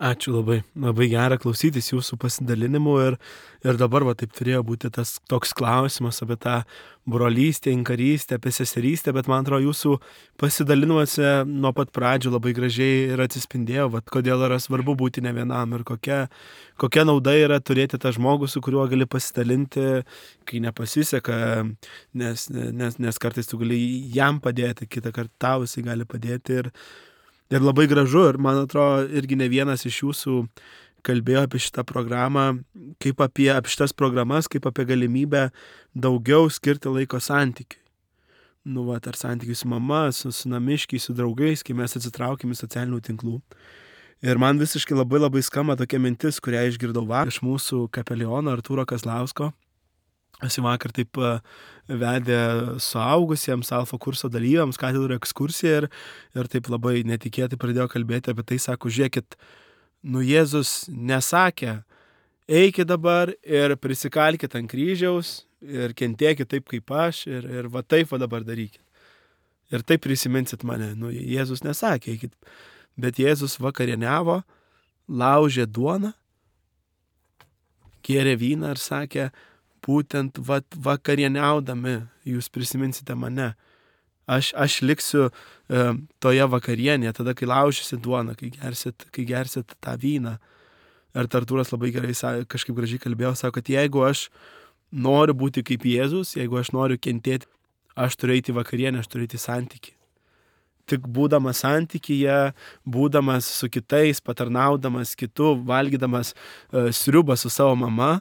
Ačiū labai, labai gera klausytis jūsų pasidalinimų ir, ir dabar va taip turėjo būti tas toks klausimas apie tą brolystę, inkarystę, apie seserystę, bet man atrodo jūsų pasidalinimuose nuo pat pradžių labai gražiai ir atsispindėjo, va, kodėl yra svarbu būti ne vienam ir kokia, kokia nauda yra turėti tą žmogų, su kuriuo gali pasidalinti, kai nepasiseka, nes, nes, nes kartais tu gali jam padėti, kitą kartą tau jisai gali padėti ir Ir labai gražu, ir man atrodo, irgi ne vienas iš jūsų kalbėjo apie šitą programą, kaip apie, apie šitas programas, kaip apie galimybę daugiau skirti laiko santykiui. nu, va, ar santykiai su mama, su, su namiškiai, su draugais, kai mes atsitraukėm į socialinių tinklų. Ir man visiškai labai labai skamba tokia mintis, kurią išgirdau vakar iš mūsų kapeliono Artūro Kazlausko. Jis vakar taip vedė suaugusiems alfa kurso dalyviams katedrų ekskursiją ir, ir taip labai netikėtai pradėjo kalbėti apie tai, sako, žiūrėkit, nu Jėzus nesakė, eikit dabar ir prisikalkit ant kryžiaus ir kentėkit taip kaip aš ir, ir va taip va dabar darykit. Ir taip prisiminsit mane, nu Jėzus nesakė, eikit, bet Jėzus vakarieniavo, laužė duoną, gėrė vyną ir sakė, būtent va, vakarieniaudami jūs prisiminsite mane. Aš, aš liksiu e, toje vakarienėje, tada, kai laužysit duoną, kai gersit, kai gersit tą vyną. Ir Artūras labai gerai kažkaip gražiai kalbėjo, sako, kad jeigu aš noriu būti kaip Jėzus, jeigu aš noriu kentėti, aš turiu eiti vakarienę, aš turiu eiti santykį. Tik būdamas santykyje, būdamas su kitais, patarnaudamas kitu, valgydamas e, sriubą su savo mama,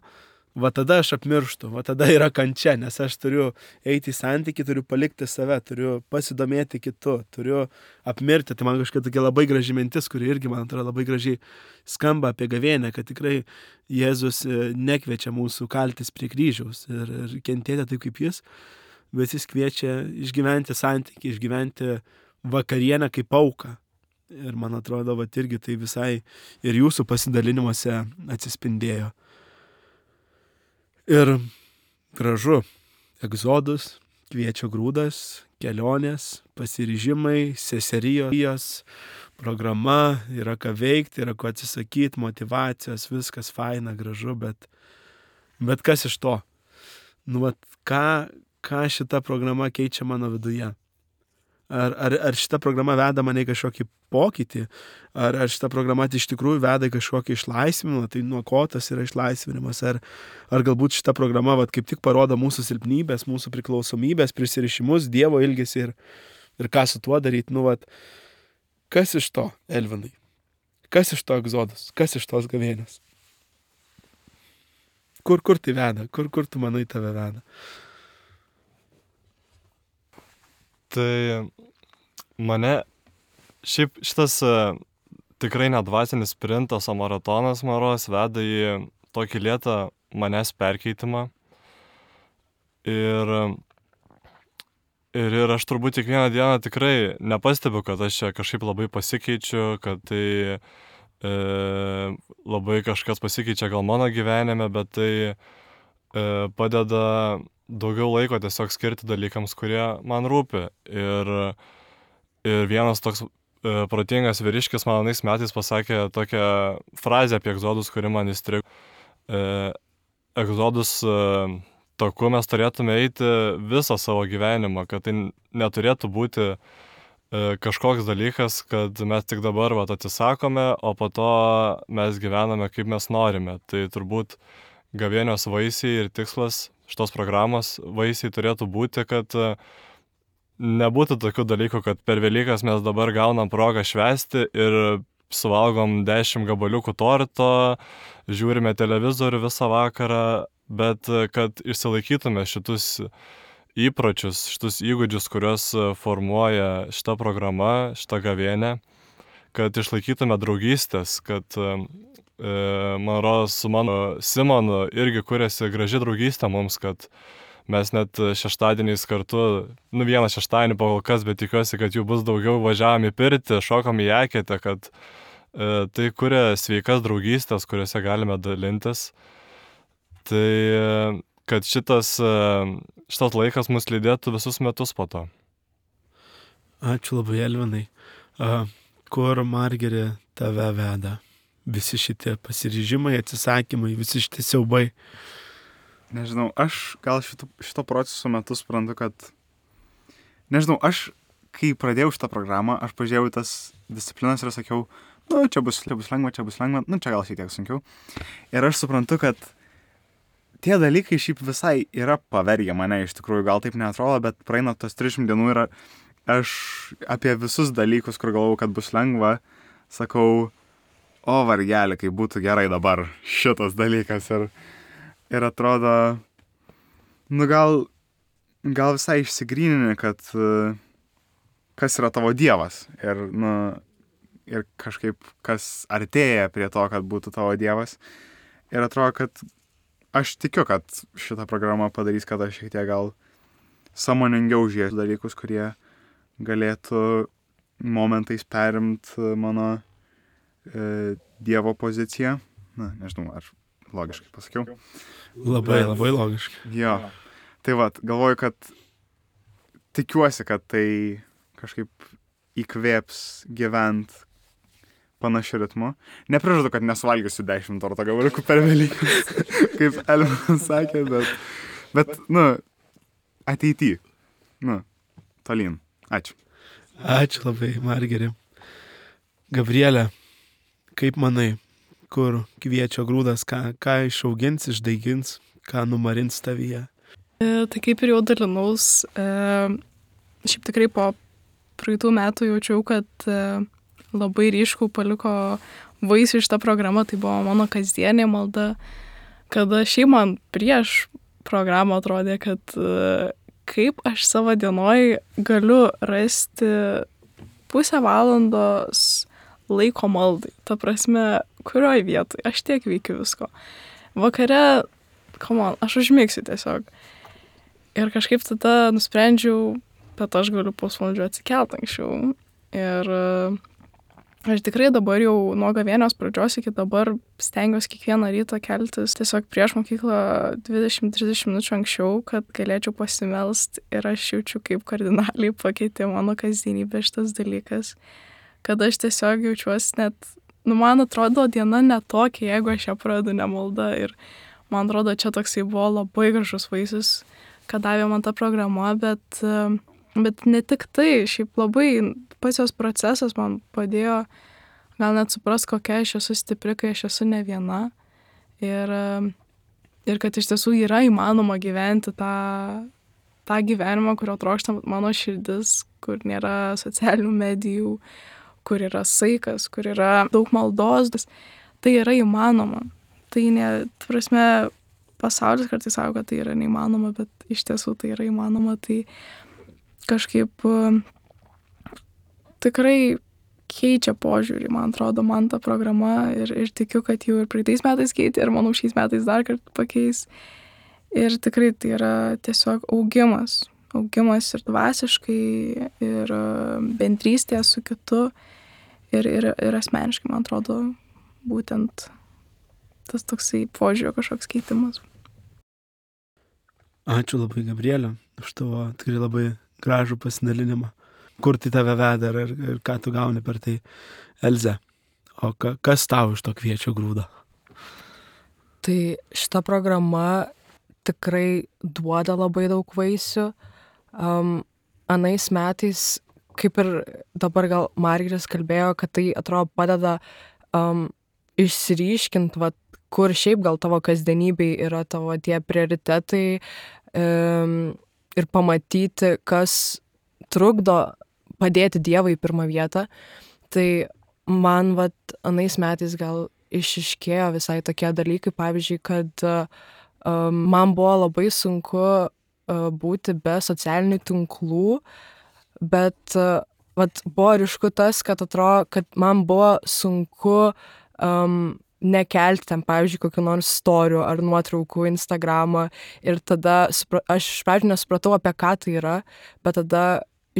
va tada aš apmirštu, va tada yra kančia, nes aš turiu eiti į santykį, turiu palikti save, turiu pasidomėti kitu, turiu apmirti. Tai man kažkokia tokia labai graži mintis, kuri irgi, man atrodo, labai gražiai skamba apie gavėnią, kad tikrai Jėzus nekviečia mūsų kaltis prie kryžiaus ir, ir kentėti taip kaip jis, bet jis kviečia išgyventi santykį, išgyventi vakarienę kaip auką. Ir man atrodo, va irgi tai visai ir jūsų pasidalinimuose atsispindėjo. Ir gražu, egzodus, kviečio grūdas, kelionės, pasiryžimai, seserijos, programa, yra ką veikti, yra ko atsisakyti, motyvacijos, viskas faina, gražu, bet, bet kas iš to? Nu, vat, ką, ką šita programa keičia mano viduje? Ar, ar, ar šita programa veda mane į kažkokį pokytį, ar, ar šita programa iš tikrųjų veda į kažkokį išlaisvinimą, tai nuo ko tas yra išlaisvinimas, ar, ar galbūt šita programa vat, kaip tik parodo mūsų silpnybės, mūsų priklausomybės, prisirišimus, Dievo ilgesį ir, ir ką su tuo daryti. Nu, vat, kas iš to, Elvinai? Kas iš to egzodus? Kas iš tos gavėnios? Kur, kur tai veda? Kur, kur tu manai tave veda? Tai mane, šiaip šitas uh, tikrai nedvasinis sprintas, o maratonas maros veda į tokį lėtą manęs perkeitimą. Ir, ir, ir aš turbūt kiekvieną dieną tikrai nepastebiu, kad aš čia kažkaip labai pasikeičiu, kad tai e, labai kažkas pasikeičia gal mano gyvenime, bet tai e, padeda daugiau laiko tiesiog skirti dalykams, kurie man rūpi. Ir, ir vienas toks e, protingas vyriškis man anais metais pasakė tokią frazę apie egzodus, kuri man įstrigo. E, egzodus e, taku mes turėtume eiti visą savo gyvenimą, kad tai neturėtų būti e, kažkoks dalykas, kad mes tik dabar vat, atsisakome, o po to mes gyvename kaip mes norime. Tai turbūt gavėnios vaisiai ir tikslas šitos programos vaisiai turėtų būti, kad nebūtų tokių dalykų, kad per Velykas mes dabar gaunam progą švęsti ir suvalgom dešimt gabaliukų torto, žiūrime televizorių visą vakarą, bet kad išsilaikytume šitus įpročius, šitus įgūdžius, kuriuos formuoja šita programa, šita gavėnė, kad išlaikytume draugystės, kad man rodos, su mano Simonu irgi kuriasi graži draugystė mums, kad mes net šeštadieniais kartu, nu vieną šeštadienį po kol kas, bet tikiuosi, kad jų bus daugiau, važiavom į pirtį, šokom į eketę, kad e, tai kuria sveikas draugystės, kuriuose galime dalintis. Tai kad šitas, šitas laikas mus lydėtų visus metus po to. Ačiū labai, Elvinai. A, kur Margerė tave veda? Visi šitie pasiryžimai, atsisakymai, visi šitie siaubai. Nežinau, aš gal šito, šito proceso metu suprantu, kad... Nežinau, aš, kai pradėjau šitą programą, aš pažiūrėjau tas disciplinas ir sakiau, nu, čia bus, čia bus lengva, čia bus lengva, nu, čia gal šiek tiek sunkiau. Ir aš suprantu, kad tie dalykai šiaip visai yra pavergę mane, iš tikrųjų, gal taip neatrodo, bet praeina tos trisdešimt dienų ir aš apie visus dalykus, kur galvau, kad bus lengva, sakau, o vargelį, kaip būtų gerai dabar šitas dalykas. Ir, ir atrodo, nu gal gal visai išsigrynini, kad uh, kas yra tavo dievas ir, nu, ir kažkaip kas artėja prie to, kad būtų tavo dievas. Ir atrodo, kad aš tikiu, kad šita programa padarys, kad aš šiek tiek gal sąmoningiau žiūrėsiu dalykus, kurie galėtų momentais perimt mano e, dievo poziciją. Na, nežinau, ar logiškai pasakiau. Labai, Bet- labai logiškai. Jo. Tai vat, galvoju, kad tikiuosi, kad tai kažkaip įkvėps gyvent panašiu ritmu. Neprižadu, kad nesuvalgysiu dešimt torto gabaliukų per Velykas, kaip Elvinas sakė, bet, bet, nu, ateity. Nu, tolyn. Ačiū. Ačiū labai, Margeri. Gabrielė, kaip manai, kur kviečio grūdas, ką, ką išaugins, išdaigins, ką numarins tavyje? E, tai kaip ir jau dalinaus, e, šiaip tikrai po praeitų metų jaučiau, kad e, labai ryškų paliko vaisių šitą programą, tai buvo mano kasdienė malda, kada šiaip man prieš programą atrodė, kad e, kaip aš savo dienoj galiu rasti pusę valandos laiko maldai. Ta prasme, kurioj vietoj, aš tiek veikiu visko. Vakare, come on, aš užmigsiu tiesiog. Ir kažkaip tada nusprendžiau, kad aš galiu pusvalandžio atsikelt anksčiau. Ir e, aš tikrai dabar jau nuo gavėnios pradžios iki dabar stengiuosi kiekvieną rytą keltis tiesiog prieš mokyklą dvidešimt trisdešimt minučių anksčiau, kad galėčiau pasimelst. Ir aš jaučiu, kaip kardinaliai pakeitė mano kasdienybę šitas dalykas. Kad aš tiesiog jaučiuosi net, nu man atrodo diena netokia, jeigu aš ją pradedu nemalda. Ir man atrodo, čia toksai buvo labai gražus vaisius, kad davė man ta programa, bet, e, bet ne tik tai, šiaip labai pats jos procesas man padėjo gal net suprast, kokia aš esu stipri, kai aš esu ne viena. Ir, e, ir kad iš tiesų yra įmanoma gyventi tą, tą gyvenimą, kurio trokšta mano širdis, kur nėra socialinių medijų, kur yra saikas, kur yra daug maldos. Tai yra įmanoma. Tai ne, ta prasme, pasaulis kartais sako, kad tai yra neįmanoma, bet iš tiesų tai yra įmanoma. Tai kažkaip uh, tikrai keičia požiūrį, man atrodo, man ta programa ir, ir tikiu, kad jau ir praeitais metais keitė ir manau šiais metais dar kartą pakeis. Ir tikrai tai yra tiesiog augimas. Augimas ir dvasiškai, ir uh, bendrystė su kitu, ir, ir, ir asmeniškai, man atrodo, būtent tas toksai požiūrio kažkoks keitimas. Ačiū labai, Gabrielė, už tavo tikrai labai gražų pasidalinimą. Kur tai tave veda ir, ir ką tu gauni per tai, Elze? O ka, kas tau iš to kviečio grūdo? Tai šita programa tikrai duoda labai daug vaisių. Um, anais metais, kaip ir dabar gal Margeris kalbėjo, kad tai atrodo padeda um, išsiryškint, vat, kur šiaip gal tavo kasdienybei yra tavo tie prioritetai um, ir pamatyti, kas trukdo padėti Dievui į pirmą vietą. Tai man vat, anais metais gal išiškėjo visai tokie dalykai, pavyzdžiui, kad um, man buvo labai sunku uh, būti be socialinių tinklų, bet uh, vat, buvo ryšku tas, kad atrodo, kad man buvo sunku um, nekelti ten, pavyzdžiui, kokių nors storių ar nuotraukų Instagramą ir tada supra- aš iš pradžių nesupratau, apie ką tai yra, bet tada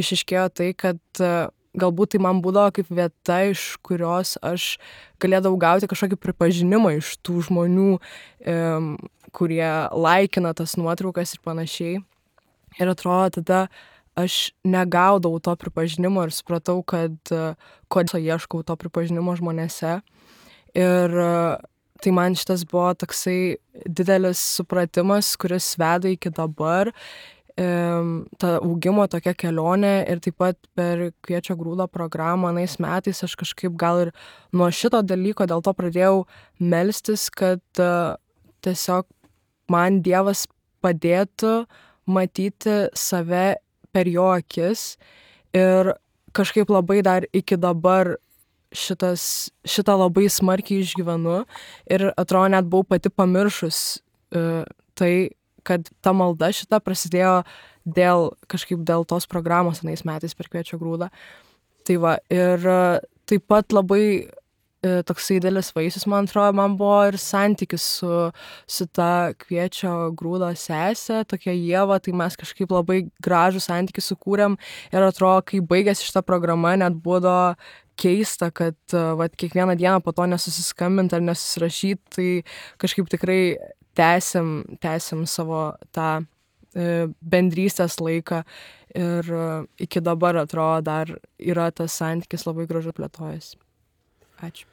išiškėjo tai, kad uh, galbūt tai man būdavo kaip vieta, iš kurios aš galėdavau gauti kažkokį pripažinimą iš tų žmonių, um, kurie laikina tas nuotraukas ir panašiai. Ir atrodo, tada aš negaudavau to pripažinimo ir supratau, kad uh, kodėl ieškau to pripažinimo žmonėse. Ir uh, tai man šitas buvo toksai didelis supratimas, kuris veda iki dabar. Um, ta augimo tokia kelionė ir taip pat per Kviečio grūdo programą anais metais aš kažkaip gal ir nuo šito dalyko dėl to pradėjau melstis, kad uh, tiesiog man Dievas padėtų matyti save per jo akis ir kažkaip labai dar iki dabar šitas, šitą labai smarkiai išgyvenu ir atrodo net buvau pati pamiršus uh, tai, kad ta malda šita prasidėjo dėl kažkaip dėl tos programos anais metais per Kviečio grūdą. Tai va, ir taip pat labai toksai didelis vaisius, man atrodo, man buvo ir santykis su, su ta Kviečio grūdo sesė, tokia Ieva, tai mes kažkaip labai gražų santykį sukūrėm ir atrodo, kai baigėsi šita programa, net buvo keista, kad vat, kiekvieną dieną po to nesusiskambint ar nesusirašyt, tai kažkaip tikrai tęsim, tęsim savo tą e, bendrystės laiką ir e, iki dabar atrodo dar yra tas santykis labai gražu plėtojas. Ačiū.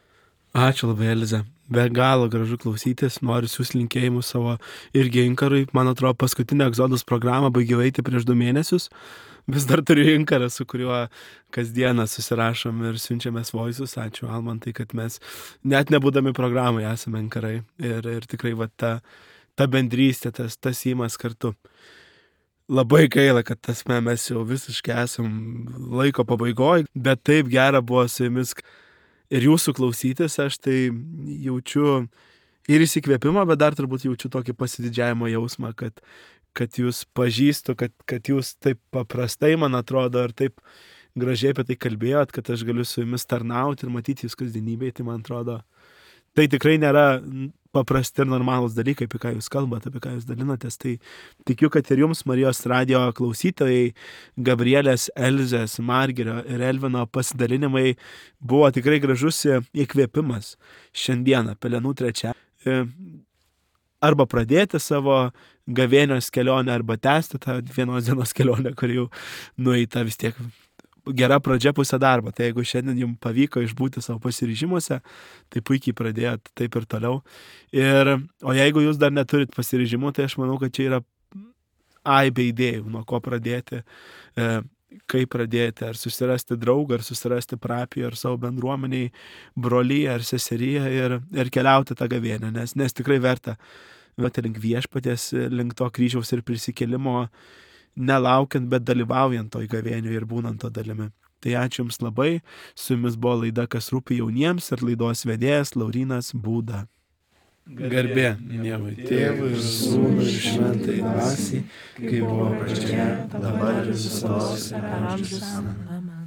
Ačiū labai, Eliza. Be galo gražu klausytis, noriu siūsti linkėjimus savo irgi Inkarui. Man atrodo, paskutinę Egzodos programą baigiau eiti prieš du mėnesius. Vis dar turiu Inkarą, su kuriuo kasdieną susirašom ir siunčiamės voisus. Ačiū, Almantai, kad mes net nebūdami programai esame Inkarai. Ir, ir tikrai va, ta, ta bendrystė, tas, tas įmas kartu. Labai gaila, kad tas mes jau visiškai esam laiko pabaigoj, bet taip gera buvo su jumis ir jūsų klausytis. Aš tai jaučiu ir įsikvėpimą, bet dar turbūt jaučiu tokį pasididžiavimo jausmą, kad, kad jūs pažįstu, kad, kad jūs taip paprastai, man atrodo, ir taip gražiai apie tai kalbėjot, kad aš galiu su jumis tarnauti ir matyti jūs kasdienybėje. Tai man atrodo, tai tikrai nėra paprasti ir normalūs dalykai, apie ką jūs kalbate, apie ką jūs dalinatės. Tai tikiu, kad ir jums, Marijos radijo klausytojai, Gabrielės, Elzės, Margirio ir Elvino pasidalinimai buvo tikrai gražus įkvėpimas šiandieną, Pelenų trečia. Arba pradėti savo gavėnios kelionę, arba tęsti tą vienos dienos kelionę, kur jau nueita vis tiek gera pradžia pusė darbo. Tai jeigu šiandien jums pavyko išbūti savo pasiryžimuose, tai puikiai pradėjot taip ir toliau. Ir, o jeigu jūs dar neturit pasiryžimų, tai aš manau, kad čia yra aibė idėjų, nuo ko pradėti, e, kaip pradėti, ar susirasti draugą, ar susirasti parapiją, ar savo bendruomeniai, brolyje, ar seseriją ir, ir keliauti tą gavėnią, nes, nes tikrai verta, verta link viešpaties, link to kryžiaus ir prisikėlimo, nelaukiant, bet dalyvaujant toj gavėniui ir būnant to dalimi. Tai ačiū jums labai. Su jumis buvo laida Kas rūpi jauniems ir laidos vedėjas Laurynas Būda. Garbė Dievui Tėvui ir Sūnui ir Šventai Dvasiai, kaip buvo pradžioje, dabar ir visos amžius. Amen.